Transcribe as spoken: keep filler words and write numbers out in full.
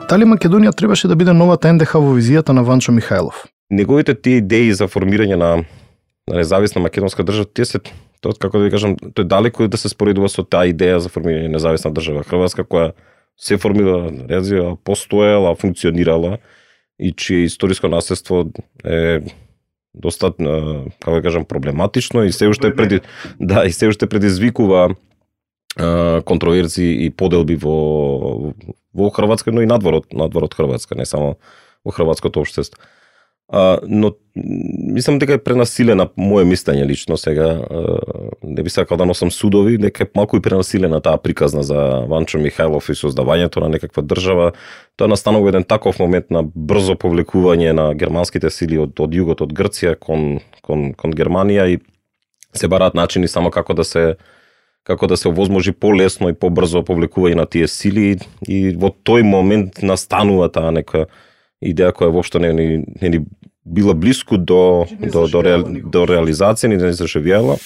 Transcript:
Дали Македонија требаше да биде новата ен де ха во визијата на Ванчо Михајлов? Неговите тие идеи за формирање на, на независна македонска држава, тие се тоа како да ви кажам, тој далеко да се споредува со таа идеја за формирање на независна држава Хрватска, која се формира, развива, постоела, функционирала и чие историско наследство е доста, како да кажам, проблематично и се уште преди да и се уште предизвикува контроверзии и поделби во во Хрватска, но и надвор од надвор од Хрватска, не само во хрватското општество. А, но мислам дека е пренасилена, мое мислење лично сега, а, не би сакал да носам судови, дека е малку и пренасилена таа приказна за Ванчо Михајлов и создавањето на некаква држава. Тоа настанува еден таков момент на брзо повлекување на германските сили од, од југот, од Грција кон, кон, кон Германија и се бараат начини само како да се како да се овозможи полесно и побрзо повлекување на тие сили и во тој момент настанува таа нека идеја која воопшто не ни, не ни била блиску до, до, до, до, до реализација, ни не се заживела.